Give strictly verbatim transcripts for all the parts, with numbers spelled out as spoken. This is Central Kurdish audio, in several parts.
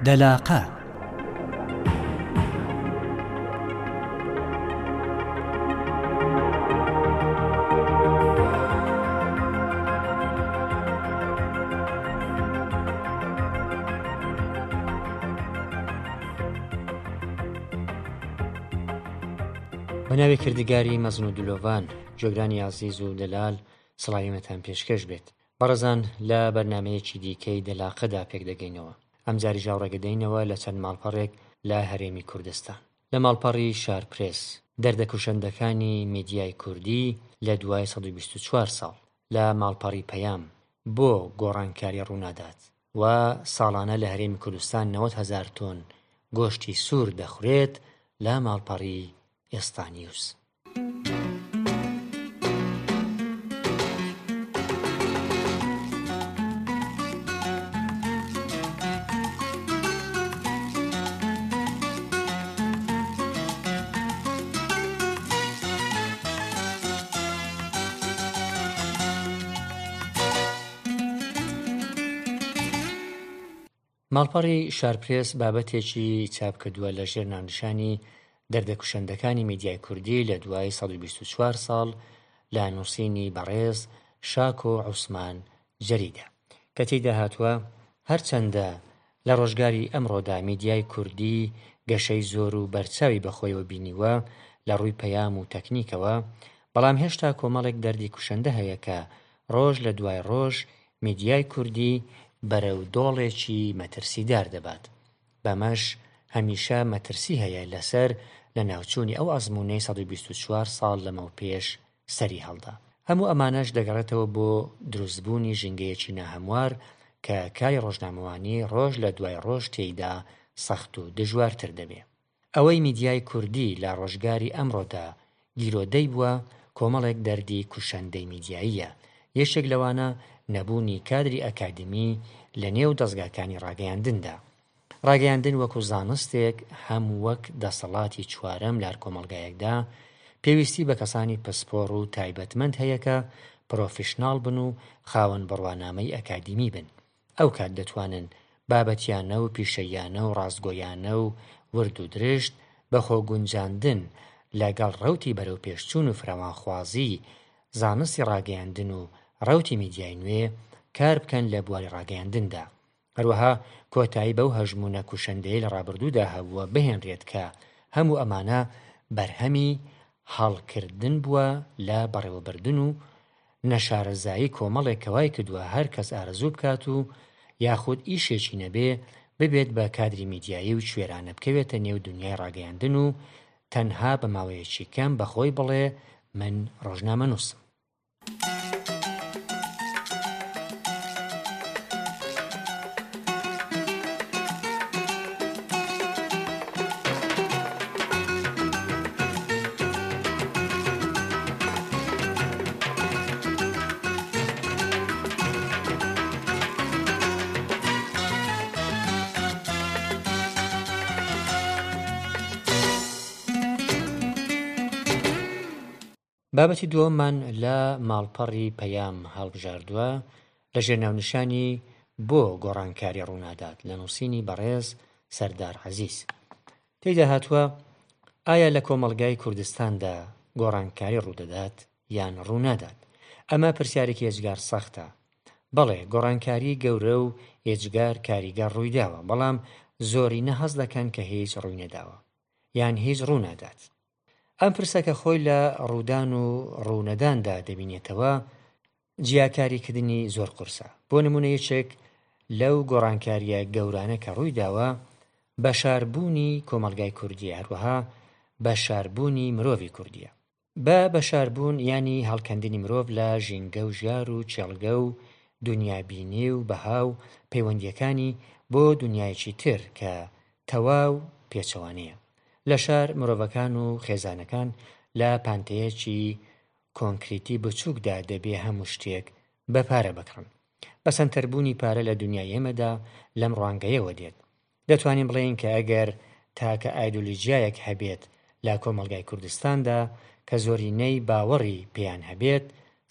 دەلاقە. بە ناوی کردگاری مەزن و دلۆڤان، گوێگرانی ئازیز و دەلال، سڵاوی ئێمەتان پێشکەش بێت. بەڕێزان لە بەرنامەیەکی دیکەی دەلاقەدا پێک دەگەینەوە. ئەمجاریش ڕێگەدەینەوە لە چەند ماڵپەڕێک لە هەرێمی کوردستان. لە ماڵپەڕی شارپرێس، دەردە کوشندەکانی میدیای کوردی لە دوای سەد و بیست و چوار ساڵ. لە ماڵپەڕی پەیام، بۆ گۆڕانکاری ڕوونادات و ساڵانە لە هەرێمی کوردستان نەوەد هەزار تۆن گۆشتی سوور دەخورێت. لە ماڵپەڕی ئێستا نیوز. ماڵپەڕی شارپرێس بابەتێکی چاپ کردووە لە ژێر ناونیشانی دەردە کوشندەکانی میدیای کوردی لە دوای سەد و بیست و چوار ساڵ لە نووسینی بەڕێز شاکۆ عوسمان جەریدە، کە تێیدا هاتووە هەرچەندە لە ڕۆژگاری ئەمڕۆدا میدیای کوردی گەشەی زۆر و بەرچاوی بەخۆیەوە بینیوە لە ڕووی پەیام و تەکنیکەوە، بەڵام هێشتا کۆمەڵێک دەردی کوشندە هەیە کە ڕۆژ لە دوای ڕۆژ میدیای کوردی بەرەو دۆڵێکی مەترسیدار دەبات. بەمەش هەمیشە مەترسی هەیە لەسەر لە ناوچوونی ئەو ئەزموونەی سەد و بیست و چوار ساڵ لەمەو پێش سەری هەڵدا. هەموو ئەمانەش دەگەڕێتەوە بۆ دروستبوونی ژینگەیەکی ناهەموار کە کاری ڕۆژنامەوانی ڕۆژ لە دوای ڕۆژ تێیدا سەخت و دژوارتر دەبێ. ئەوەی میدیای کوردی لە ڕۆژگاری ئەمڕۆدا گیرۆدەی بووە کۆمەڵێک دەردی کوشندەی میدیاییە، یەکێک لەوانە نەبوونی کادری ئەکادیمی لە نێو دەزگاکانی ڕاگەیاندندا. ڕاگەیاندن وەکو زانستێک هەم وەک دەسەڵاتی چوارەم لە هەر کۆمەڵگایەکدا پێویستی بە کەسانی پسپۆڕ و تایبەتمەند هەیە کە پرۆفیشناڵ بن و خاوەن بڕوانامەی ئەکادیمی بن. ئەو کات دەتوانن بابەتیانە و پیشەیانە و ڕاستگۆیانە و ورد و درشت بە خۆگونجاندن لەگەڵ ڕەوتی بەرەوپێشچوون و فراوانخوازی زانستی ڕاگەیاندن و ڕەوتی میدیای نوێ کار بکەن لە بواری ڕاگەیاندندا. هەروەها کۆتایی بەو هەژموونە کوشندەیە لە ڕابردوودا هەبووە بهێنرێت کە هەموو ئەمانە بەرهەمی هەڵکردن بووە لە بەڕێوەبردن و نەشارەزایی کۆمەڵێک کە وای کردووە هەر کەس ئارەزوو بکات و یاخود ئیشێکی نەبێ ببێت بە کادری میدیایی و کوێرانە بکەوێتە نێو دنیای ڕاگەیاندن و تەنها بە ماوەیەکی کەم بەخۆی بڵێ من ڕۆژنامەنووسم. بابەتی دووەممان لە ماڵپەڕی پەیام هەڵبژاردووە لە ژێر ناونیشانی بۆ گۆڕانکاری ڕوونادات لە نووسینی بەڕێز سەردار عەزیز. تێیدا هاتووە ئایا لە کۆمەڵگای کوردستاندا گۆڕانکاری ڕوودەدات یان ڕوونادات؟ ئەمە پرسیارێکی ئێجگار سەختە. بەڵێ گۆڕانکاری گەورە و ئێجگار کاریگەر ڕوویداوە، بەڵام زۆرینە هەست دەکەن کە هیچ ڕووی نەداوە یان هیچ ڕوونادات. ئەم پرسە کە خۆی لە ڕوودان و ڕوونەداندا دەبینێتەوە جیاکاریکردنی زۆر قورسە. بۆ نمونە یەکێک لەو گۆڕانکاریە گەورانە کە ڕوویداوە بەشاربوونی کۆمەڵگای کوردیە، هەروەها بەشاربوونی مرۆڤی کوردیە. بە بەشاربوون ینی هەڵکەندنی مرۆڤ لە ژینگە و ژیار و چێڵگە و دنیابینی و بەها و پەیوەندیەکانی بۆ دنیایەکی تر کە تەواو پێچەوانەیە. لە شار مرۆڤەکان و خێزانەکان لە پانتەیەکی کۆنکریتی بچووکدا دەبێ هەموو شتێک بە پارە بکڕن. بە سەنتەربوونی پارە لە دنیای ئێمەدا لەم ڕوانگەیەوە دێت. دەتوانین بڵێین کە ئەگەر تاکە ئایدۆلۆژیایەک هەبێت لە کۆمەڵگای کوردستاندا کە زۆرینەی باوەڕی پێیان هەبێت،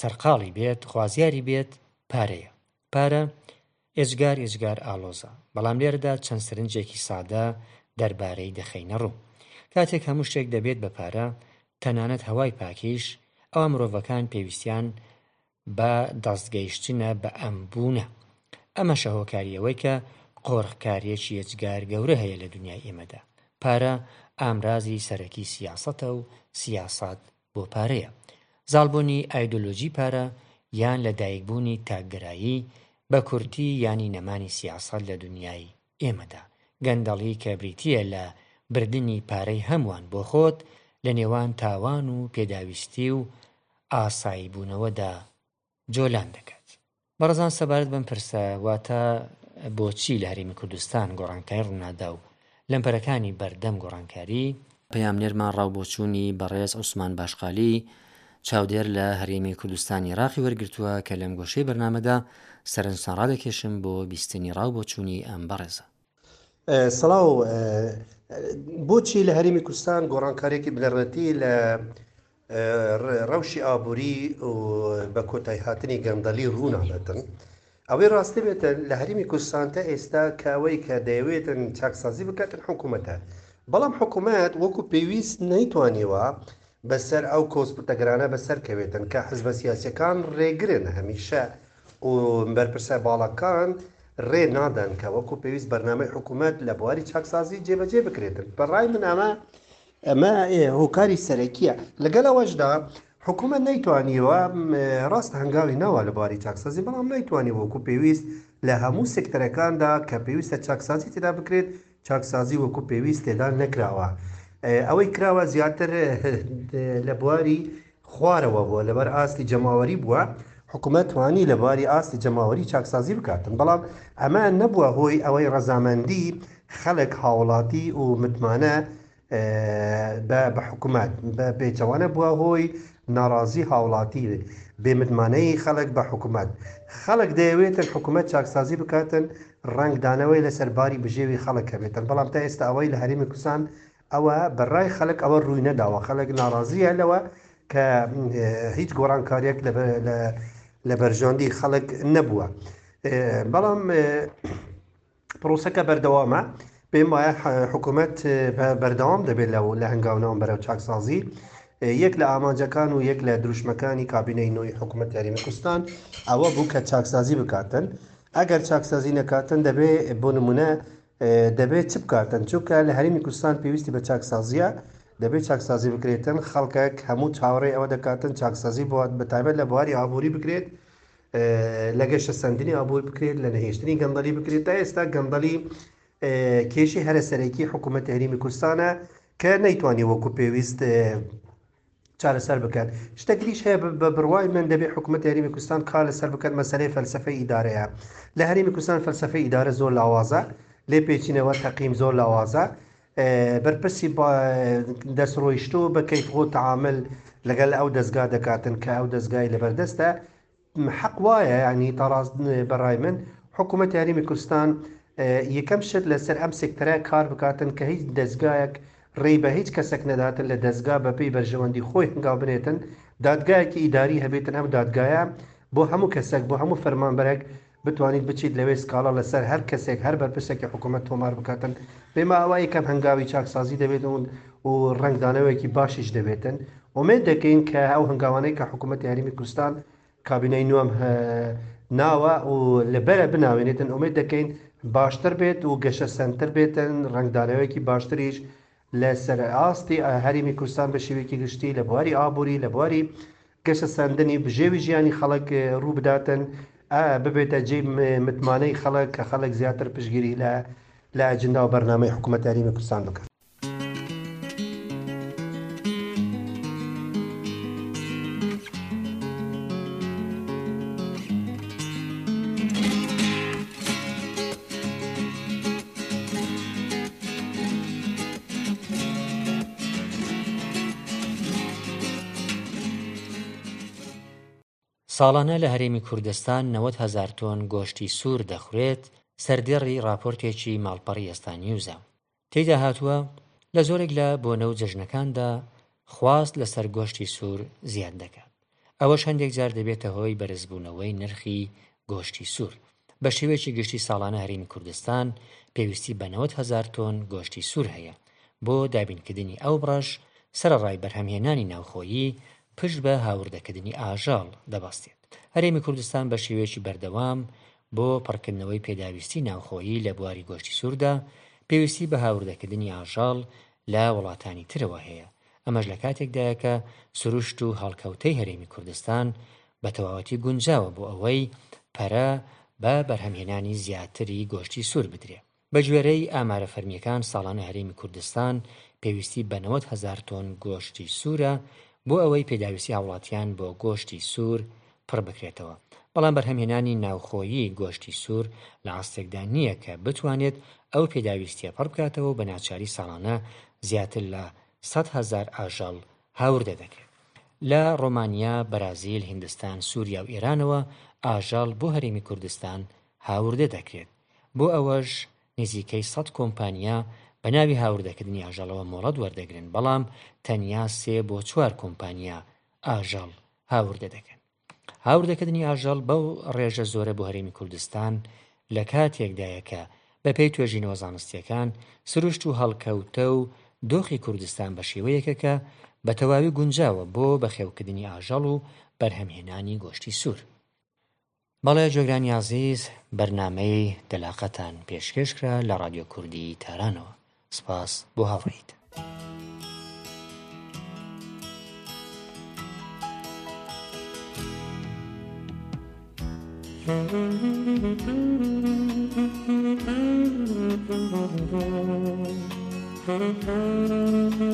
سەرقاڵی بێت، خوازیاری بێت، پارەیە. پارە ئێجگار ئێجگار ئاڵۆزە، بەڵام لێرەدا چەند سەرنجێکی سادە دەربارەی دەخەینە ڕوو. کاتێک هەموو شتێک دەبێت بە پارە، تەنانەت هەوای پاکیش، ئەوا مرۆڤەکان پێویستیان بە دەستگەیشتنە بە ئەم بوونە. ئەمەشە هۆکاری ئەوەی کە قۆرخکارییەکی ئێجگار گەورە هەیە لە دونیای ئێمەدا. پارە ئامرازی سەرەکی سیاسەتە و سیاسەت بۆ پارەیە. زاڵبوونی ئایدۆلۆجی پارە یان لەدایکبوونی تاکگەرایی، بە کورتی یانی نەمانی سیاسەت لە دونیای ئێمەدا. گەندەڵی کە بریتییە لە بردنی پارەی هەمووان بۆ خۆت، لە نێوان تاوان و پێداویستی و ئاساییبوونەوەدا جۆلان دەکات. بەڕێزان سەبارەت بەم پرسە واتە بۆچی لە هەرێمی کوردستان گۆڕانکاری ڕوونادا و لەمپەرەکانی بەردەم گۆڕانکاری، پەیامنێرمان ڕاوبۆچوونی بەڕێز عوسمان باشقالی، چاودێر لە هەرێمی کوردستانی عێراقی وەرگرتووە کە لەم گۆشەی بەرنامەدا سەرنجتان ڕادەکێشم بۆ بیستنی ڕاوبۆچوونی ئەم بەڕێزە. سڵاو، بۆچی لە هەرێمی کوردستان گۆڕانکارییەکی بنەڕەتی لە ڕەوشی ئابووری و بە کۆتایهاتنی گەندەڵی ڕووناداتن؟ ئەوەی ڕاستی بێتن لە هەرێمی کوردستان تا ئێستا کە ئەوەی کە دەیەوێتن چاکسازی بکاتن حکوومەتە، بەڵام حکوومەت وەکو پێویست نەیتوانیوە بەسەر ئەو کۆسپتەگرانە بەسەر کەوێتن کە حزبە سیاسیەکان ڕێگرن هەمیشە و بەرپرسە باڵاکان ڕێ نادەن کە وەکو پێویست بەرنامەی حکوومەت لە بواری چاکسازی جێبەجێ بکرێتن. بەڕای من ئەمە ئەمە هۆکاری سەرەکیە. لەگەڵ ئەوەشدا حکوومەت نەیتوانیوە ڕاست هەنگاوی ناوە لە بواری چاکسازی، بەڵام نەیتوانیوە وەکو پێویست لە هەموو سێکتەرەکاندا کە پێویستە چاکسازی تێدا بکرێت چاکسازی وەکو پێویست تێدا نەکراوە. ئەوەی کراوە زیاتر لە بواری خوارەوە بووە، لەبەر ئاستی جەماوەری بووە. حکوومەت توانی لە بواری ئاستی جەماوەری چاکسازی بکاتن، بەڵام ئەمە نەبووە هۆی ئەوەی ڕەزامەندی خەڵک هاوڵاتی و متمانە بە حکوومەت، بە پێچەوانە بووە هۆی ناڕازی هاوڵاتی، بێمتمانەی خەڵک بە حکوومەت. خەڵک دەیەوێتن حکوومەت چاکسازی بکاتن، ڕەنگدانەوەی لەسەر باری بژێوی خەڵک هەبێتن، بەڵام تا ئێستا ئەوەی لە هەرێمی کوردستان ئەوە بەڕای خەڵک ئەوە ڕووی نەداوە. خەڵک ناڕازیە لەوە کە هیچ گۆڕانکاریەک لە بەرژەوەندی خەڵک نەبووە. بەڵام پرۆسەکە بەردەوامە. پێم وایە حکوومەت بەردەوام دەبێت لە هەنگاوناوان بەرەو چاکسازی. یەک لە ئامانجەکان و یەک لە دروشمەکانی کابینەی نوێی حکوومەت هەرێمی کوردستان ئەوە بوو کە چاکسازی بکاتن. ئەگەر چاکسازی نەکاتن دەبێ بۆ نمونە دەبێت چ بکاتن؟ چونکە لە هەرێمی کوردستان پێویستی بە چاکسازیە، دەبێت چاکسازی بکرێتن. خەڵکێک هەموو چاوەڕێی ئەوە دەکاتن چاکسازی بە تایبەت لە بواری ئابووری بکرێت، لە گەشەسەندنی ئابووری بکرێت، لە نەهێشتنی گەندەڵی بکرێت. تا ئێستا گەندەڵی کێشی هەرە سەرەکی حکوومەت هەرێمی کوردستانە کە نەیتوانی وەکو پێویست چارەسەر بکات. شتێکیش هەیە بە بڕوای من دەبێت حکوومەت هەرێمی کوردستان کار لەسەر بکات، مەسەلەی فەلسەفەی ئیدارەیە. لە هەرێمی کوردستان فەلسەفەی ئیدارە زۆر لاوازە، لێپێچینەوە تەقیم زۆر لاوازە، بەرپرسی دەستڕۆیشتوو بە کەیفخۆ تەعامل لەگەڵ ئەو دەستگا دەکاتن کە ئەو دەستگای لەبەردەستە. حەق وایە ینی تاڕاست بەڕای من حکوومەت هەرێمی کوردستان یەکەم شت لەسەر ئەم سێکتەرە کار بکاتن کە هیچ دەستگایەک ڕێی بە هیچ کەسێک نەداتن لە دەستگا بەپێی بەرژەوەندی خۆی هەنگاو بنێتن. دادگایەکی ئیداری هەبێتن، ئەم دادگایە بۆ هەموو کەسێک بۆ هەموو فەرمانبەرێک بتوانیت بچیت لەوێ سکاڵا لەسەر هەر کەسێک هەر بەرپرسێکی حکوومەت تۆمار بکاتن. پێما ئەوە یەکەم هەنگاوی چاکسازی دەبێت و ڕەنگدانەوەیەکی باشیش دەبێتن. ئومێد دەکەین کە ئەو هەنگاوانەی کە حکوومەتی هەرێمی کوردستان کابینەی نوێم ناوە و لەبەرە بناوێنێتن، ئومێد دەکەین باشتر بێت و گەشەسەندتر بێتن، ڕەنگدانەوەیەکی باشتریش لەسەر ئاستی هەرێمی کوردستان بە شێوەیەکی گشتی لە بواری ئابووری، لە بواری گەشەسەندنی بژێوی ژیانی خەڵک ڕوو بداتن، ببێتە جێی متمانەی خەڵک کە خەڵک زیاتر پشتگیری لە ئەجندا و بەرنامەی حکوومەت هەرێمی کوردستان بکات. ساڵانە لە هەرێمی کوردستان نەوەد هەزار تۆن گۆشتی سوور دەخورێت، سەردێڕی ڕاپۆرتێکی ماڵپەڕی ئێستا نیوزە. تێیدا هاتووە، لە زۆرێک لە بۆنە و جەژنەکاندا خواست لەسەر گۆشتی سوور زیاد دەکات. ئەوەش هەندێک جار دەبێتە هۆی بەرزبوونەوەی نرخی گۆشتی سوور. بە شێوەیەکی گشتی ساڵانە هەرێمی کوردستان پێویستی بە نەوەد هەزار تۆن گۆشتی سوور هەیە، بۆ دابینکردنی ئەو بڕەش سەرەڕای بەرهەمهێنانی ناوخۆیی پشت بە هاوردەکردنی ئاژەڵ دەبەستێت. هەرێمی کوردستان بە شێوەیەکی بەردەوام بۆ پڕکردنەوەی پێداویستی ناوخۆیی لە بواری گۆشتی سووردا پێویستی بە هاوردەکردنی ئاژەڵ لە وڵاتانی ترەوە هەیە، ئەمەش لە کاتێکدایە کە سروشت و هەڵکەوتەی هەرێمی کوردستان بە تەواوەتی گونجاوە بۆ ئەوەی پەرە بە بەرهەمهێنانی زیاتری گۆشتی سوور بدرێ. بە گوێرەی ئامارە فەرمییەکان ساڵانە هەرێمی کوردستان پێویستی بە نەوەد هەزار تۆن گۆشتی سوورە بۆ ئەوەی پێداویستی هاوڵاتیان بۆ گۆشتی سوور پڕ بکرێتەوە، بەڵام بەرهەمهێنانی ناوخۆیی گۆشتی سوور لە ئاستێکدا نییە کە بتوانێت ئەو پێداویستیە پڕ بکاتەوە و بە ناچاری ساڵانە زیاتر لە سەد هەزار ئاژەڵ هاوردە دەکرێت. لە ڕۆمانیا، بەرازیل، هیندستان، سووریا و ئێرانەوە ئاژەڵ بۆ هەرێمی کوردستان هاوردە دەکرێت. بۆ ئەوەش نزیکەی سەد کۆمپانیا بە ناوی هاوردەکردنی ئاژەڵەوە مۆڵەت وەردەگرن، بەڵام تەنیا سێ بۆ چوار کۆمپانیا ئاژەڵ هاوردە دەکەن. هاوردەکردنی ئاژەڵ بەو ڕێژە زۆرە بۆ هەرێمی کوردستان لە کاتێکدایە کە بەپێی توێژینەوە زانستیەکان سروشت و هەڵکەوتە و دۆخی کوردستان بە شێوەیەکە کە بە تەواوی گونجاوە بۆ بەخێوکردنی ئاژەڵ و بەرهەمهێنانی گۆشتی سوور. بەڵێ جۆگرانی ئازیز، بەرنامەی دەلاقەتان پێشکێش کرا لە ڕادیۆ کوردی تارانەوە. سپاس بۆ هاوڕێیت. Thank you.